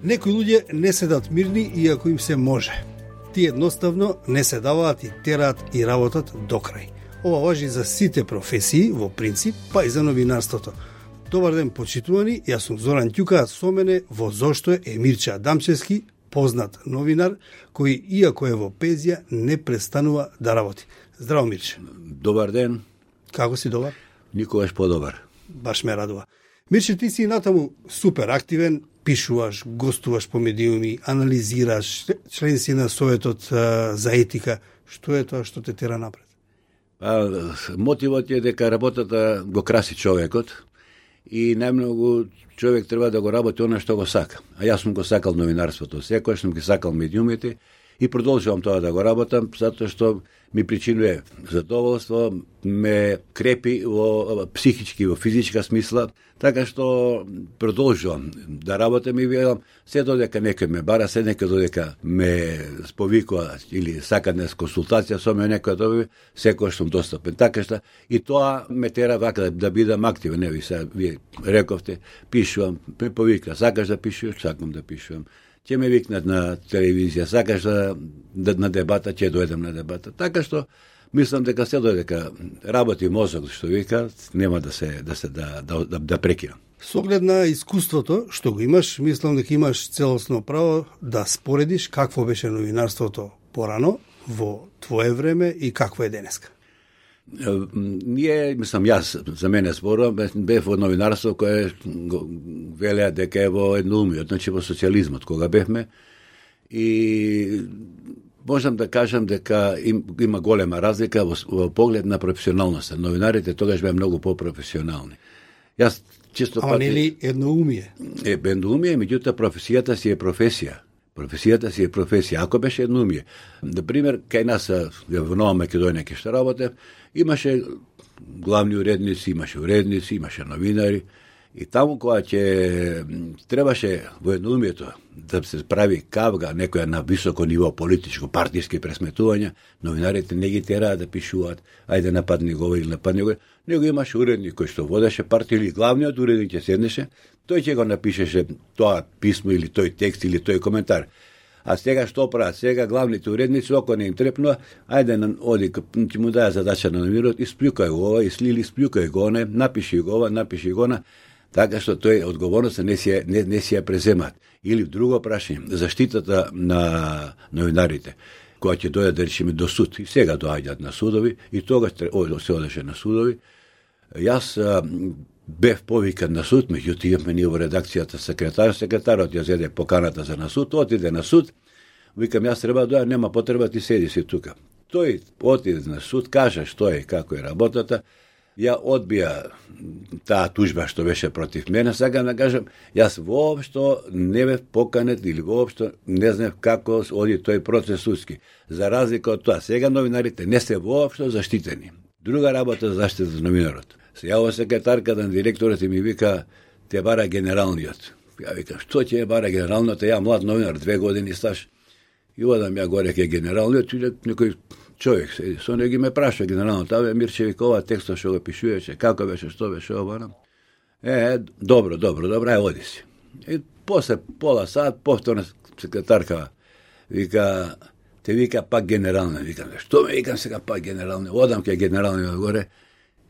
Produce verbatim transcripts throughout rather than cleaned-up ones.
Некои луѓе не седат мирни иако им се може. Тие едноставно не се даваат и тераат и работат до крај. Ова важи за сите професии во принцип, па и за новинарството. Добар ден, почитувани, јас сум Зоран Ќука, со мене во Зошто е Емирче Адамчевски, познат новинар, кој иако е во пензија не престанува да работи. Здраво, Мирче. Добар ден. Како си, добар? Никогаш подобар. Баш ме радува. Мирче, ти си натаму супер активен, пишуваш, гостуваш по медиуми, анализираш, член си на Советот за етика. Што е тоа што те тера напред? А, мотивот е дека работата го краси човекот и најмногу човек треба да го работи она што го сака. А јас сум го сакал новинарството, секојаш сум ги сакал медиумите и продолжувам тоа да го работам, затоа што ми причинува задоволство, ме крепи во психички, во физичка смисла, така што продолжувам да работам и велам, се додека некој ме бара, се некој додека ме сповикува или сака днес консултација со мене, некој доби, секој сум достапен. Така што и тоа ме тера вака да, да бидам активен. Не, ви сега вие рековте, пишувам, ме повика, сакаш да пишуваш, сакам да пишувам. Ќе ме викнат на телевизија, сакаш да, да на дебата, ќе дојдем на дебата. Така што мислам дека се додека работи мозок, што вика, нема да се да се да да, да, да прекинам. Со оглед на искуството што го имаш, мислам дека имаш целосно право да споредиш какво беше новинарството порано во твое време и какво е денеска. Ние, мислам, јас за мене зборувам, бев во новинарство кое велеа дека е во едноумиот, значи во социјализмот, кога бевме, и можам да кажам дека им, има голема разлика во, во поглед на професионалноста. Новинарите тогаш беа многу по-професионални. Јас чисто Ама пати... нели едноумие? Е, едноумие, меѓутоа професијата си е професија. Професијата си е професија. Ако беше едноумие, например, кај нас во Нова Македонија ке што работев, имаше главни уредници, имаше уредници, имаше новинари, и таму кога ќе требаше во едноумието да се прави кавга, некоја на високо ниво политичко, партиски пресметувања, новинарите не ги тераа да пишуваат, ајде нападни го или нападни го, него имаше уредник кој што водеше партија или главниот уредник ќе седнеше, тој ќе го напишеше тоа писмо или тој текст или тој коментар. А сега што прават? Сега главните уредници, око не им трепнува, ајде на оди, ќе му даја задача на новинарот, исплюкај го ова, ислили, исплюкај го не, напиши го ова, напиши го на, така што тој одговорноста не си не, не си ја преземат. Или друго прашање, заштитата на новинарите, кога ќе дојдат да речеме до суд, и сега доаѓаат на судови, и тогаш се одеше на судови. Јас а, бев повикан на суд, меѓутоа имаме ние во редакцијата секретар, секретарот ја зеде поканата за на суд, отиде на суд, викам јас треба да дојдам, нема потреба, ти седи си тука. Тој отиде на суд, кажа што е, како е работата, ја одбија таа тужба што беше против мене, сакам да кажам, јас воопшто не бев поканет или воопшто не знам како оди тој процес судски. За разлика од тоа, сега новинарите не се воопшто заштитени. Друга работа за заштита за новинарот. Се јава секретарка на директорот и ми вика, те бара генералниот. Ја викам, што ќе бара генералниот, ја млад новинар, две години стаж. И одам ја горе ке генералниот, и некој човек седи, со него ме праша генералниот, аве Мирче вика, ова текстот што го пишуваше, како беше, што беше ова. Е, добро, добро, добро, ај оди си. И после пола сат, повторна секретарка вика, те вика пак генералниот, викам, што ме викам сега пак генералниот, одам ке генералниот горе,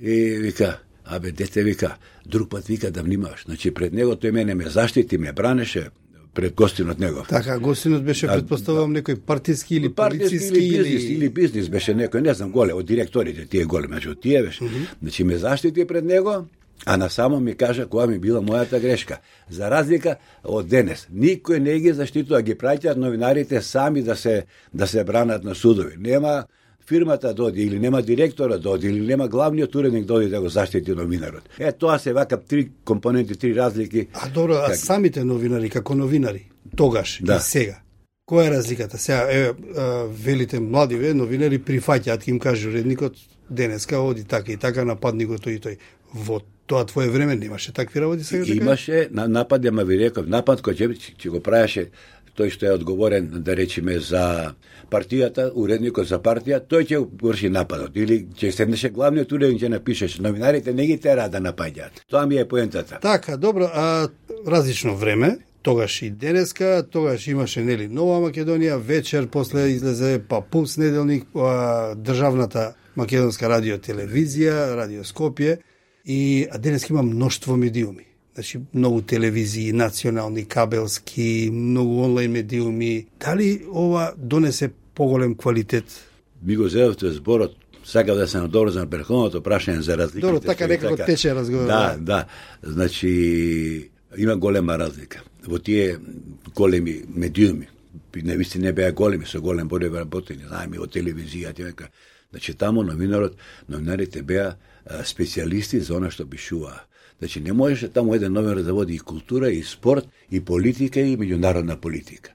и вика, абе, дете вика, друг пат вика да внимаваш. Значи, пред него тој мене ме заштити, ме бранеше пред гостинот негов. Така, гостинот беше, предпоставувам, некој партиски или полициски или бизнис, или... или бизнис беше некој, не знам, голе, од директорите, тие голе, меѓу тие беше. Mm -hmm. Значи, ме заштити пред него, а насамо ми кажа која ми била мојата грешка. За разлика од денес, никој не ги заштитува, ги праќаат новинарите сами да се да се бранат на судови. Нема фирмата доди, или нема директора доди, или нема главниот уредник доди да го заштити новинарот. Е, тоа се вака три компоненти, три разлики. А добро, а как... самите новинари, како новинари, тогаш да. И сега, која е разликата? Сега, е, велите млади ве, новинари прифаќаат, им каже уредникот, денеска оди така и така, нападни го тој и тој. Во тоа твое време немаше такви работи сега? Имаше на напад, ама ви реков, напад кој ќе, ќе го правеше тој што е одговорен, да речеме, за партијата, уредникот за партија, тој ќе врши нападот. Или ќе седнеше главниот уредник, ќе напишеше. Новинарите не ги тера да напаѓаат. Тоа ми е поентата. Така, добро, а различно време, тогаш и денеска, тогаш имаше нели Нова Македонија, вечер после излезе па Пулс неделник, па државната македонска радио телевизија, Радио Скопје, и а денеска има мноштво медиуми. Значи, многу телевизии, национални, кабелски, многу онлайн медиуми. Дали ова донесе поголем квалитет? Ми го зедовте зборот, сакав да се надоврзам претходното прашање за разликите. Добро, така некако така... тече разговор. Да, да. Значи, има голема разлика. Во тие големи медиуми, не висти не беа големи, со голем број работени, знаеме, од телевизија, тека. Значи, таму новинарот, новинарите беа специјалисти за она што пишуваа. Значи, не можеше таму еден новинар да води и култура, и спорт, и политика, и меѓународна политика.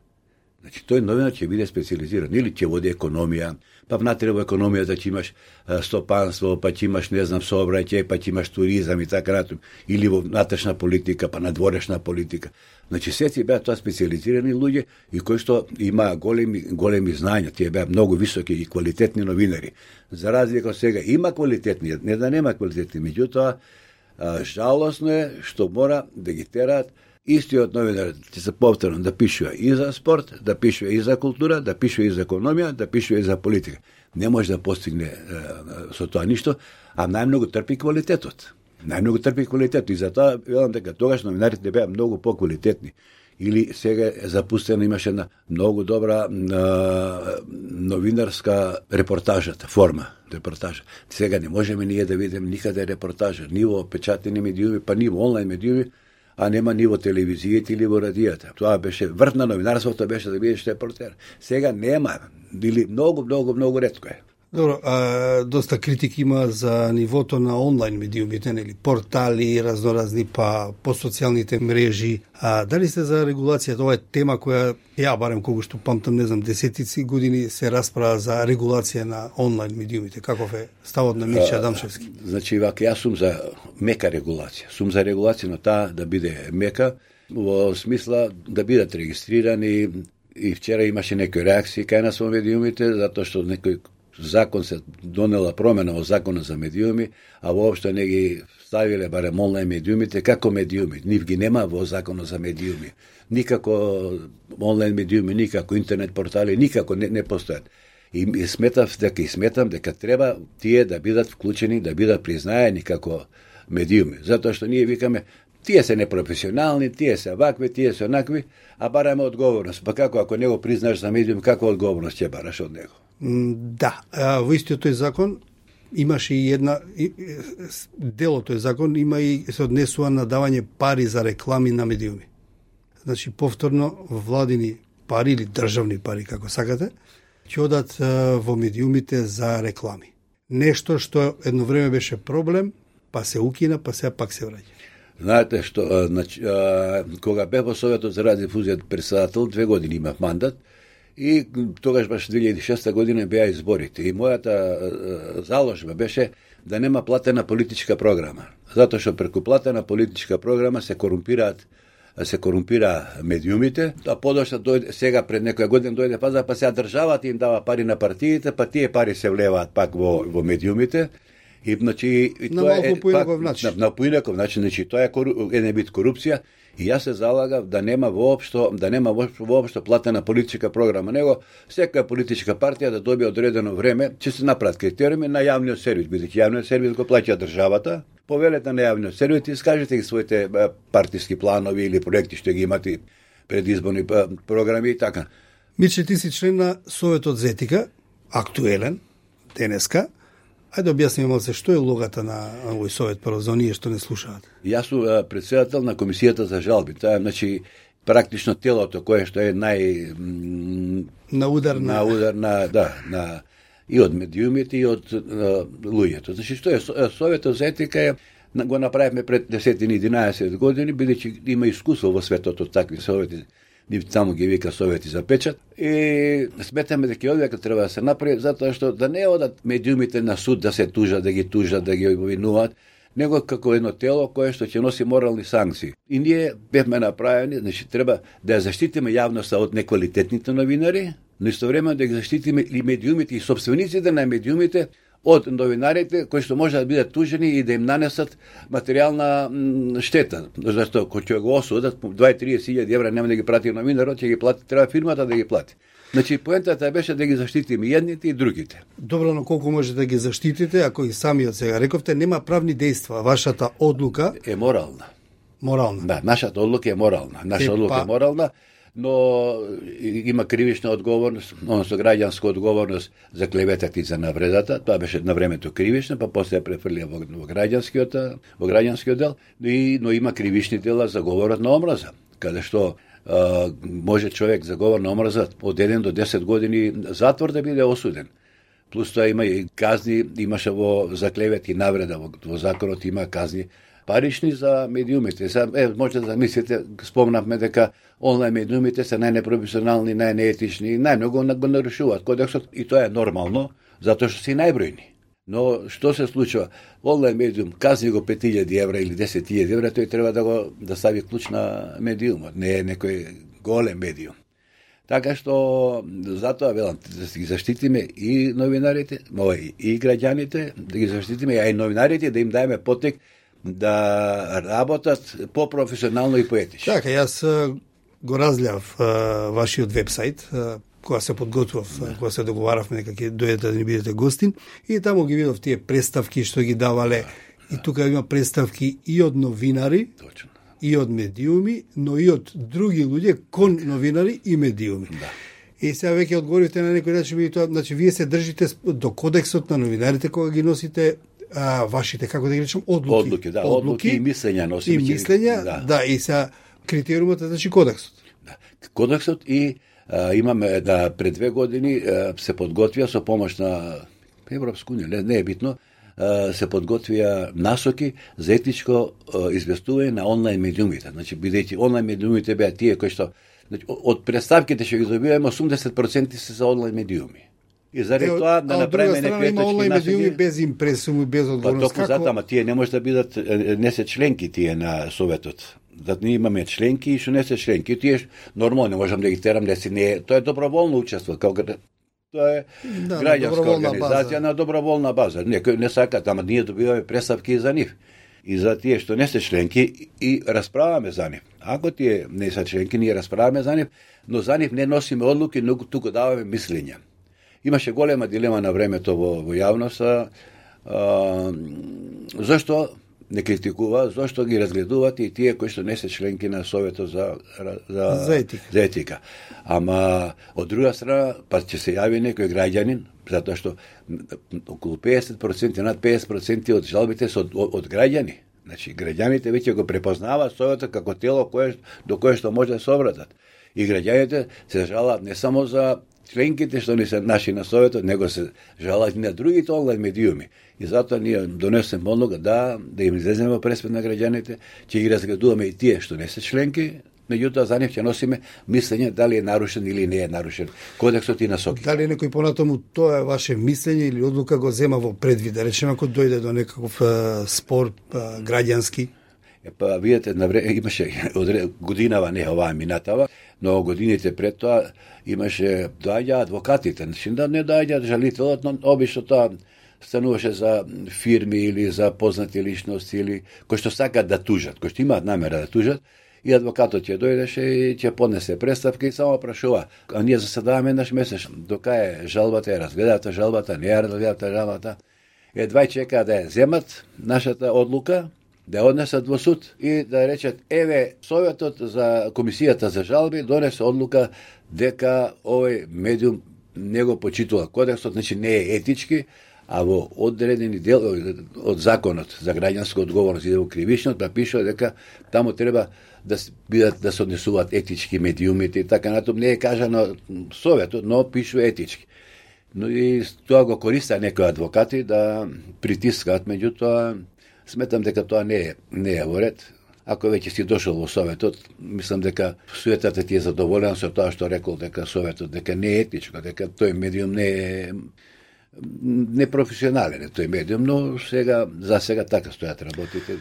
Значи, тој новинар ќе биде специализиран, или ќе води економија, па внатре во економијата ќе имаш стопанство, па ќе имаш, не знам, сообраќај, па ќе имаш туризам и така натаму, или во внатрешна политика, па надворешна политика. Значи, сеци беа тоа специализирани луѓе и кои што има големи големи знања, тие беа многу високи и квалитетни новинари. За разлика од сега има квалитетни, не да нема квалитетни, меѓутоа жалосно е што мора да ги тераат истиот новинар, ќе се повторам, да пишува и за спорт, да пишува и за култура, да пишува и за економија, да пишува и за политика. Не може да постигне е, со тоа ништо, а најмногу трпи квалитетот. Најмногу трпи квалитетот и затоа велам дека тогаш новинарите беа многу поквалитетни. Или сега е запустена, имаше една многу добра е, новинарска репортажата, форма репортажа. Сега не можеме ние да видиме никаде репортажа, ни во печатени медиуми, па ни во онлайн медиуми, а нема ни во телевизијата или во радијата. Тоа беше врв на новинарството, беше да бидеш репортер. Сега нема, или многу, многу, многу ретко е. Добро, а, доста критики има за нивото на онлайн медиумите, нели, портали, разноразни, па по социјалните мрежи. А дали сте за регулација? Ова е тема која ја барем колку што памтам, не знам, десетици години се расправа за регулација на онлайн медиумите. Каков е ставот на Мирча Адамшевски? Значи, вака, јас сум за мека регулација. Сум за регулација на таа да биде мека, во смисла да бидат регистрирани, и вчера имаше некои реакции кај нас во медиумите, затоа што некој закон се донела промена во законот за медиуми, а воопшто не ги ставиле барем онлайн медиумите како медиуми. Нив ги нема во законот за медиуми. Никако онлайн медиуми, никако интернет портали, никако не, не постојат. И, и сметав дека и сметам дека треба тие да бидат вклучени, да бидат признаени како медиуми. Затоа што ние викаме тие се непрофесионални, тие се вакви, тие се онакви, а бараме одговорност. Па како ако не го признаеш за медиум, каква одговорност ќе бараш од него? Да, во истиот тој закон имаше и една дел од тој закон има и се однесува на давање пари за реклами на медиуми. Значи повторно владини пари или државни пари како сакате ќе одат во медиумите за реклами. Нешто што едно време беше проблем, па се укина, па сега пак се враќа. Знаете што, значи, кога бев во Советот за радиодифузија председател, две години имав мандат, и тогаш баш две илјади и шеста година беа изборите. И мојата заложба беше да нема платена политичка програма. Затоа што преку платена политичка програма се корумпираат се корумпира медиумите, а подошла дојде сега пред некоја година дојде пазар, па сега државата им дава пари на партиите, па тие пари се влеваат пак во во медиумите. И значи и на тоа е поинаков начин. На, на поинаков начин, значи тоа е кору, еден вид корупција. И јас се залагав да нема воопшто, да нема воопшто платена политичка програма, него секоја политичка партија да добие одредено време, ќе се направат критериуми на јавниот сервис, бидејќи јавниот сервис го плаќа државата. Повелете на јавниот сервис и скажете ги своите партиски планови или проекти што ги имате предизборни програми и така. Мирче, ти си член на Советот за етика, актуелен денеска. Ајде објасни малце што е улогата на овој совет прво за оние што не слушаат. Јас сум претседател на комисијата за жалби. Тоа е значи практично телото кое што е нај на удар на, на удар на да на и од медиумите и од луѓето. Значи што е Советот за етика е го направивме пред десет и единаесет години, бидејќи има искуство во светот од такви совети. Нив таму ги вика совети за печат. И сметаме дека овие треба да се направи, затоа што да не одат медиумите на суд да се тужат, да ги тужат, да ги обвинуваат, него како едно тело кое што ќе носи морални санкции. И ние бевме направени, значи треба да ја заштитиме јавноста од неквалитетните новинари, но истовремено да ги заштитиме и медиумите и сопствениците на медиумите од новинарите кои што може да бидат тужени и да им нанесат материјална м, штета. Зашто кој ќе го осудат дваесет до триесет илјади евра нема да ги прати новинарот, ќе ги плати, треба фирмата да ги плати. Значи поентата беше да ги заштитиме едните и другите. Добро, но колку може да ги заштитите, ако и самиот сега рековте, нема правни дејства. Вашата одлука е морална. Морална. Да, нашата одлука е морална. Наша е, одлука па... е морална, но има кривична одговорност, односно граѓанска одговорност за клеветата и за навредата. Тоа беше на времето кривична, па после ја префрлија во, во граѓанскиот во граѓанскиот дел, и, но има кривични дела за говорот на омраза, каде што а, може човек за говор на омраза од еден до десет години затвор да биде осуден. Плюс тоа има и казни, имаше во за клевет и навреда во, во законот има казни парични за медиумите. Са, е, може да замислите, спомнавме дека онлайн медиумите се најнепрофесионални, најнеетични, најмногу го нарушуваат кодексот и тоа е нормално, затоа што се најбројни. Но што се случува? Онлайн медиум казни го пет илјади евра или десет илјади евра, тој треба да го да стави клуч на медиумот, не е некој голем медиум. Така што затоа велам да ги заштитиме и новинарите, и граѓаните, да ги заштитиме, а и новинарите да им даеме потек да работат по-професионално и поетично. Така, јас го разгледав вашиот вебсайт, кога се подготвав, да. Кога се договаравме дека ќе дојдете да ни бидете гостин, и таму ги видов тие представки што ги давале, да. И тука има представки и од новинари, точно, и од медиуми, но и од други луѓе кон новинари и медиуми. Да. И сега веќе одговорите на некој начин, тоа, значи вие се држите до кодексот на новинарите кога ги носите а, вашите, како да ги речем, одлуки. Одлуки, да, одлуки, одлуки и мислења носиме. И мислења, да. Да, и сега критериумот е, значи, кодексот. Да. Кодексот и а, имаме да пред две години а, се подготвија со помош на Европска унија, не, не е битно, а, се подготвија насоки за етичко а, известување на онлайн медиумите. Значи, бидејќи онлайн медиумите беа тие кои што, значи, од представките што ги добиваме, осумдесет проценти се за онлайн медиуми. И заради тоа да направиме некои етички насоки. Онлайн медиуми без импресум и без одговорност. Па токму затоа, ама тие не може да бидат, не се членки тие на Советот. Да ние имаме членки и што не се членки. Тие нормално не можам да ги терам, да си не, тоа е доброволно учество, како тоа е да, граѓанска организација база. На доброволна база. Некој не сакат, ама ние добиваме представки за нив. И за тие што не се членки и расправаме за нив. Ако тие не се членки, ние расправаме за нив, но за нив не носиме одлуки, но туку даваме мислења. Имаше голема дилема на времето во, во јавноста, а, зашто не критикува, зашто ги разгледуваат и тие кои што не се членки на Советот за, за, за, етика. за етика. Ама, од друга страна, па ќе се јави некој граѓанин, затоа што околу педесет проценти, над педесет проценти од жалбите се од, од, од граѓани. Значи, граѓаните веќе го препознаваат Советот како тело кое, до кое што може да се обратат. И граѓаните се жалаат не само за членките што не се наши на Советот, него се жалаат и на другите онлайн медиуми. И затоа ние донесеме одлука да, да им излеземе во пресвет на граѓаните, ќе ги разгледуваме и тие што не се членки, меѓутоа за нив ќе носиме мислење дали е нарушен или не е нарушен кодексот и насоки. Дали некој понатаму тоа е ваше мислење или одлука го зема во предвид, да речеме ако дојде до некаков а, спор а, граѓански? Е, па видите, на време имаше годинава, не оваа минатава, но годините пред тоа имаше доаѓа адвокатите, значи да не доаѓа жалителот, но обично тоа стануваше за фирми или за познати личности или кои што сакат да тужат, кои што имаат намера да тужат, и адвокатот ќе дојдеше и ќе поднесе представка и само прашува. А ние заседаваме еднаш месечно. Дока е жалбата, е разгледата жалбата, не е разгледата жалбата. Едва чека да ја земат нашата одлука, да ја однесат во суд и да речат, еве, Советот за Комисијата за жалби донесе одлука дека овој медиум не го почитува кодексот, значи не е етички, а во одредени дел од законот за граѓанска одговорност и во кривичниот па пишува дека таму треба да бидат да се однесуваат етички медиумите и така натаму, не е кажано Советот, но пишува етички. Но и тоа го користат некои адвокати да притискаат, меѓутоа сметам дека тоа не е не е во ред. Ако веќе си дошол во Советот, мислам дека суетата ти е задоволена со тоа што рекол дека Советот дека не е етичко, дека тој медиум не е непрофесионален е тој медиум, но сега за сега така стојат работите.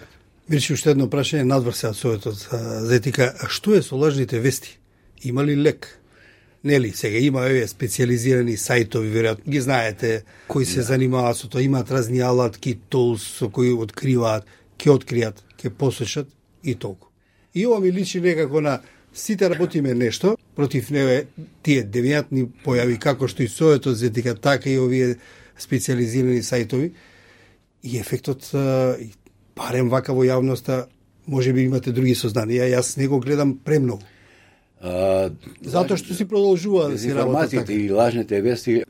Мирче, уште едно прашање надвор се од Советот за етика. А што е со лажните вести? Има ли лек? Нели, сега има еве специализирани сајтови, веројатно ги знаете, кои се да. занимаваат со тоа, имаат разни алатки, тулс со кои откриваат, ќе откријат, ќе посочат и толку. И ова ми личи некако на сите работиме нешто против неве тие девијантни појави, како што и советот за етика, така и овие специализирани сајтови. И ефектот, барем вака во јавноста, може би имате други сознанија, јас не го гледам премногу. А, Затоа што си продолжува да си работа така. И лажните вести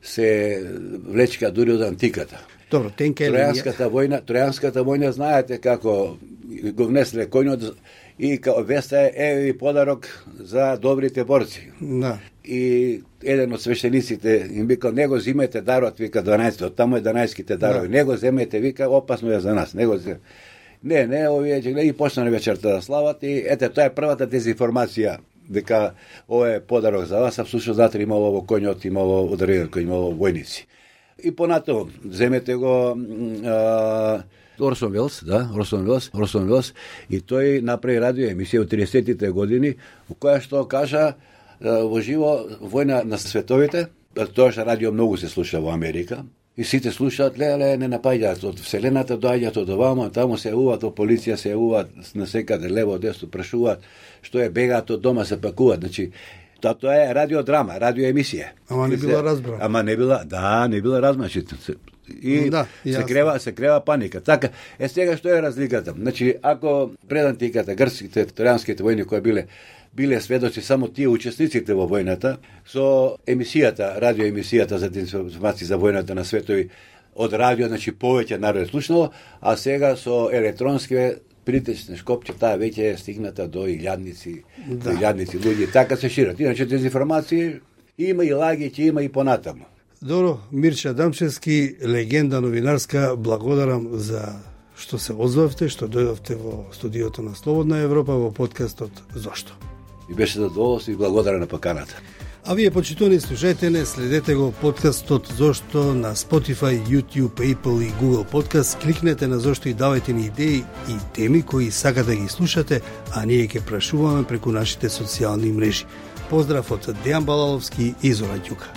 се влечка дури од антиката. Добро, тенка е Тројанската војна, Тројанската војна знаете како го внесле коњот и као веста е еве подарок за добрите борци. Да. И еден од свештениците им викал, не го зимете дарот, вика дванаесет, од таму е дванаесеттите дарови, да. Не го земете, вика, опасно е за нас, не го земете. Не, не, овие ќе гледа и почна вечерта да слават и ете, тоа е првата дезинформација дека ова е подарок за вас, а всушност затре имало во коњот, имало ударение кој имало војници. И понатаму земете го а, Орсон Велс, да, Орсон Велс, Орсон Велс, и тој направи радио емисија во триесеттите години, во која што кажа во живо војна на световите, тоа што радио многу се слуша во Америка. И сите слушаат, леле, не напаѓаат од вселената, доаѓаат од овамо, таму се јавуваат, од полиција се јавуваат на секаде, лево, десно, прашуваат, што е, бегаат од дома, се пакуваат. Значи, тоа, тоа е радиодрама, радиоемисија. Ама не била разбрана. Ама не била, да, не била разбрана. И да, се крева, се крева паника. Така, е сега што е разликата? Значи, ако пред антиката, грцките, тројанските војни кои биле биле сведоци само тие учесниците во војната, со емисијата, радиоемисијата за информации за војната на светови од радио, значи повеќе народ слушнало, а сега со електронски притечни шкопчета веќе е стигната до илјадници, да. до илјадници луѓе, така се шират. Иначе дезинформација има и лаги, ќе има и понатаму. Добро, Мирча Дамчевски, легенда новинарска, благодарам за што се озвавте, што дојдовте во студиото на Слободна Европа во подкастот Зошто. И беше задоволство и благодарен на поканата. А вие, почитувани слушајте, следете го подкастот Зошто на Spotify, YouTube, Apple и Google Podcast. Кликнете на Зошто и давајте ни идеи и теми кои сакате да ги слушате, а ние ќе прашуваме преку нашите социјални мрежи. Поздрав од Дејан Балаловски и Зора Ѓука.